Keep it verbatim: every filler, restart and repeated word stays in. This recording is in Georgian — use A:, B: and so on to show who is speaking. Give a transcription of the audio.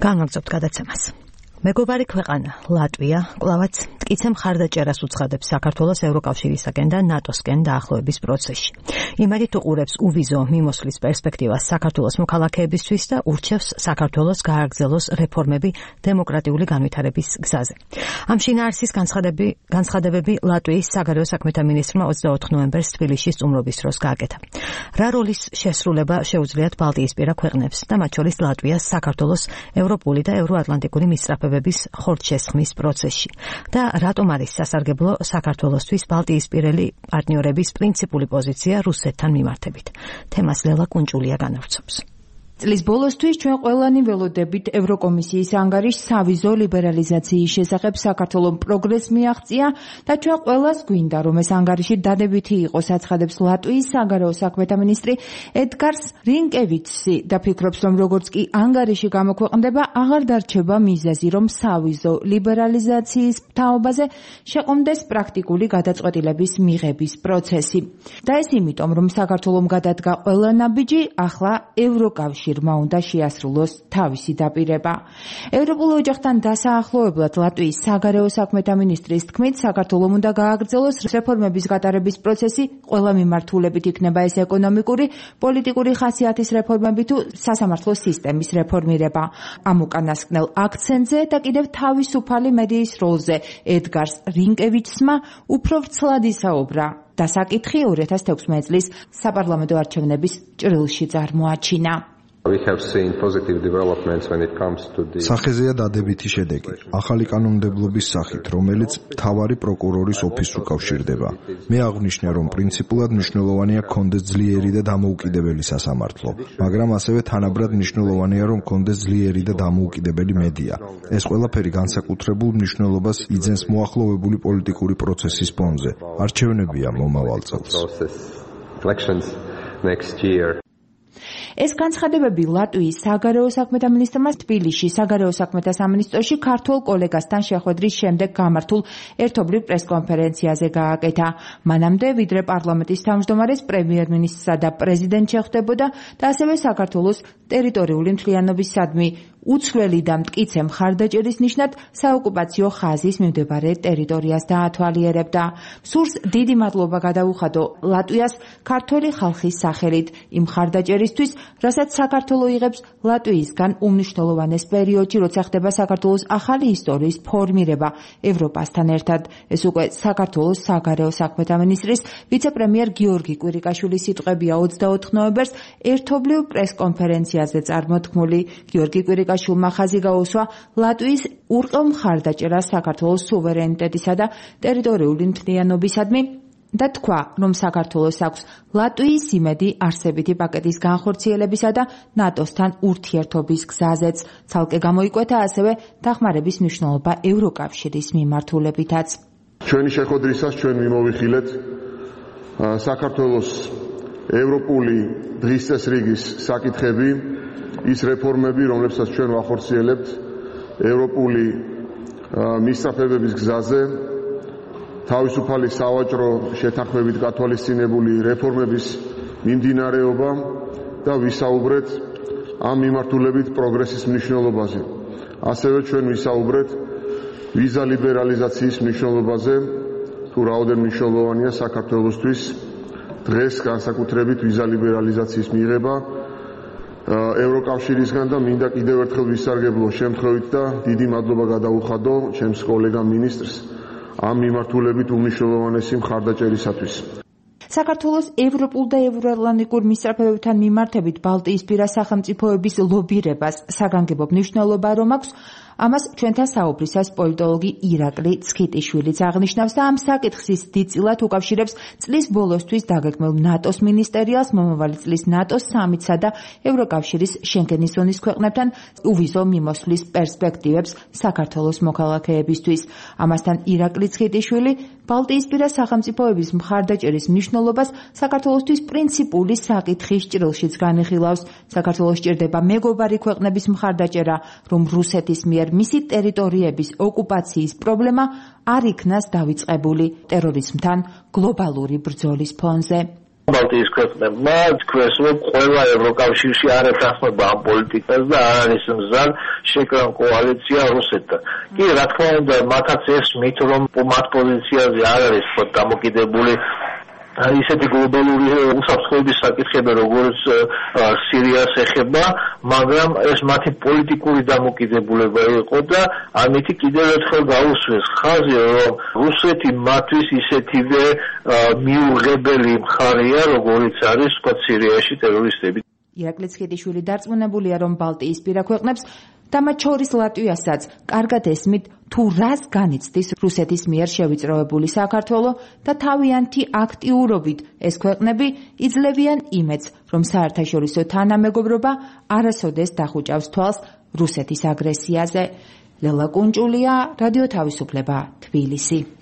A: განვაგრძობთ გადაცემას. მეგობარი ქვეყანა ლატვია კვლავაც მტკიცე მხარდაჭერას უცხადებს საქართველოს ევროკავშირისაგან და ნატოსკენ დაახლოების პროცესში. იმედით უყურებს უვიზო მიმოსვლის პერსპექტივას საქართველოს მოქალაქეებისთვის და ურჩევს საქართველოს გააგრძელოს რეფორმები დემოკრატიული განვითარების გზაზე. ამ შინაარსის განცხადებები ლატვიის საგარეო საქმეთა მინისტრმა ოცდაოთხ ნოემბერს თბილისში სტუმრობის დროს გააკეთა. რა როლის შესრულება შეუძლიათ ბალტიისპირა ქვეყნებს და მათ შორის ლატვიას საქართველოს ევროპული და ევროატლანტიკური მისწრაფებების ხორცშესხმის პროცესში და რატომ არის სასარგებლო საქართველოსთვის ბალტიისპირელი პარტნიორების პრინციპული პოზიცია რუსეთთან მიმართებით. თემას ლელა კუნჭულია განავრცობს.
B: წლის ბოლოსთვის ჩვენ ყველანი ველოდებით ევროკომისიის ანგარიშს სავიზო ლიბერალიზაციის შესახებ საქართველოს პროგრესს მიაღწია და ჩვენ ყველას გვინდა რომ ეს ანგარიში დადებითი იყოს, აცხადებს ლატვიის საგარეო საქმეთა მინისტრი ედგარს რინკევიჩი და ფიქრობს რომ როგორც კი ანგარიში გამოქვეყნდება აღარ დარჩება მიზეზი რომ სავიზო ლიბერალიზაციის თაობაზე შეყომდეს პრაქტიკული გადაწყვეტილების მიღების პროცესი. და ეს იმიტომ რომ საქართველოს გადადგა ყველა ნაბიჯი, ახლა ევროკავშირი უნდა შეასრულოს თავისი დაპირება. ევროპულ ოჯახთან დასაახლოებლად ლატვიის საგარეო საქმეთა მინისტრის თქმით, საქართველოს უნდა გააგრძელოს რეფორმების გატარების პროცესი, ყველა მიმართულებით იქნება ეს ეკონომიკური, პოლიტიკური ხასიათის რეფორმები თუ სასამართლო სისტემის რეფორმირება. ამ უკანასკნელ აქცენტზე და კიდევ თავისუფალი მედიის როლზე ედგარს რინკევიჩსმა უფრო ვრცლად ისაუბრა. დასაკითხი ორი ათას თექვსმეტი წლის საპარლამენტო არჩევნების ჭრილში წარმოაჩინა.
C: სახეზეა დადებითი შედეგი, ახალი კანონმდებლობის სახით, რომელიც მთავარი პროკურორის ოფისს უკავშირდება. მე აღვნიშნე, რომ პრინციპულად მნიშვნელოვანია გქონდეს ძლიერი და დამოუკიდებელი სასამართლო, მაგრამ ასევე თანაბრად მნიშვნელოვანია, რომ გქონდეს ძლიერი და დამოუკიდებელი მედია. ეს ყველაფერი განსაკუთრებულ მნიშვნელობას იძენს მოახლოვებული პოლიტიკური პროცესის ფონზე. არჩევნებია მომავალ წელს.
B: ეს განცხადებები ლატვიის საგარეო საქმეთა მინისტრმა თბილისში საგარეო საქმეთა სამინისტროში ქართულ კოლეგასთან შეხვედრის შემდეგ გამართულ ერთობლივ პრესკონფერენციაზე გააკეთა. მანამდე ვიდრე პარლამენტის თავმჯდომარეს პრემიერ-მინისტრსა და პრეზიდენტ შეხვდებოდა და ასევე საქართველოს ტერიტორიული მთლიანობისადმი უცვლელი და მტკიცე მხარდაჭერის ნიშნად საოკუპაციო ხაზის მიმდებარე ტერიტორიას დაათვალიერებდა. სურს დიდი მადლობა გადაუხადო ლატვიას ქართველი ხალხის სახელით იმ მხარდაჭერისთვის, რასაც საქართველო იღებს ლატვიისგან უმნიშვნელოვანეს პერიოდში, როცა ხდება საქართველოს ახალი ისტორიის ფორმირება ევროპასთან ერთად. ეს უკვე საქართველოს საგარეო საქმეთა მინისტრის ვიცე-პრემიერ გიორგი კვირიკაშვილის სიტყვებია ოცდაოთხ ნოემბერს ერთობლივ პრესკონფერენციაზე წარმოთქმული. გიორგი კვირიკაშვილმა ხაზი გაუსვა ლატვიის ურყევ მხარდაჭერას საქართველოს სუვერენიტეტისა და ტერიტორიული მთლიანობისადმი და თქვა, რომ საქართველოს აქვს ლატვიის იმედი არსებითი პაკეტის განხორციელებისა და ნატოსთან ურთიერთობის გზაზეც. ცალკე გამოიკვეთა ასევე დახმარების მნიშვნელობა ევროკავშირის მიმართულებითაც.
D: ჩვენი შეხვედრისას ჩვენ მიმოვიხილეთ საქართველოს ევროპული დღის წესრიგის საკითხები, ის რეფორმები, რომლებსაც ჩვენ ვახორციელებთ ევროპული მისწრაფებების გზაზე, თავისუფალი სავაჭრო შეთანხმებით გათვალისწინებული რეფორმების მიმდინარეობა და ვისაუბრეთ ამ მიმართულებით პროგრესის მნიშვნელობაზე. ასევე ჩვენ ვისაუბრეთ ვიზა ლიბერალიზაციის მნიშვნელობაზე, თუ რაოდენ მნიშვნელოვანია საქართველოსთვის დღეს განსაკუთრებით ვიზა ლიბერალიზაციის მიღება ევროკავშირისგან და მინდა კიდევ ერთხელ ვისარგებლო შემთხვევით და დიდი მადლობა გადაუხადო ჩემს კოლეგამ მინისტრს ამ მიმართულებით უმნიშვნელოვანესი მხარდაჭერისათვის.
B: საქართველოს ევროპულ და ევროატლანტიკურ მისწრაფებებთან მიმართებით ბალტიისპირა სახელმწიფოების ლობირებას საგანგებო მნიშვნელობა რომ აქვს, ამას ჩვენთან საუბრისას პოლიტოლოგი ირაკლი ცხიტიშვილიც აღნიშნავს და ამ საკითხის დიდწილად უკავშირებს წლის ბოლოსთვის დაგეგმილ ნატოს მინისტერიალს, მომავალი წლის ნატოს სამიტსა და ევროკავშირის შენგენის ზონის ქვეყნებთან უვიზო მიმოსვლის პერსპექტივებს საქართველოს მოქალაქეებისთვის. ამასთან ირაკლი ცხიტიშვილი ბალტიისპირა სახელმწიფოების მხარდაჭერის მნიშვნელობას საქართველოსთვის პრინციპული საკითხის ჭრილშიც განიხილავს. საქართველოს სჭირდება მეგობარი ქვეყნების მხარდაჭერა, რომ რუსეთის მიერ მისი ტერიტორიების ოკუპაციის პრობლემა არ იქნას დავიწყებული ტერორიზმთან გლობალური ბრძოლის ფონზე.
E: ბალტიის ქვეყნებმა თქვენს რომ ყველა ევროკავშირში არ ეთანხმება ამ პოლიტიკას და არ არის მზად შეკრან კოალიცია რუსეთთან. კი, რა თქმა უნდა, მათაც ესმით, რომ მათ პოზიციაზე არ არის თქო დამოკიდებული ისეთი გლობალური უსაფრთხოების საკითხები, როგორც სირიას ეხება, მაგრამ ეს მათი პოლიტიკური დამოკიდებულება იყო და ამითი კიდევ ერთხელ გაუსვეს ხაზი, რომ რუსეთი მათთვის ისეთივე მიუღებელი მხარეა, როგორიც არის თქვა სირიაში ტერორისტები.
B: ირაკლი ციხეიშვილი დარწმუნებულია, რომ ბალტიისპირა ქვეყნებს და მათ შორის ლატვიასაც კარგად ესმით თუ რას განიცდის რუსეთის მიერ შევიწროებული საქართველო და თავიანთი აქტიურობით ეს ქვეყნები იძლევიან იმედს, რომ საერთაშორისო თანამეგობრობა არასოდეს დახუჭავს თვალს რუსეთის აგრესიაზე. ლელა კუნჭულია, რადიო თავისუფლება, თბილისი.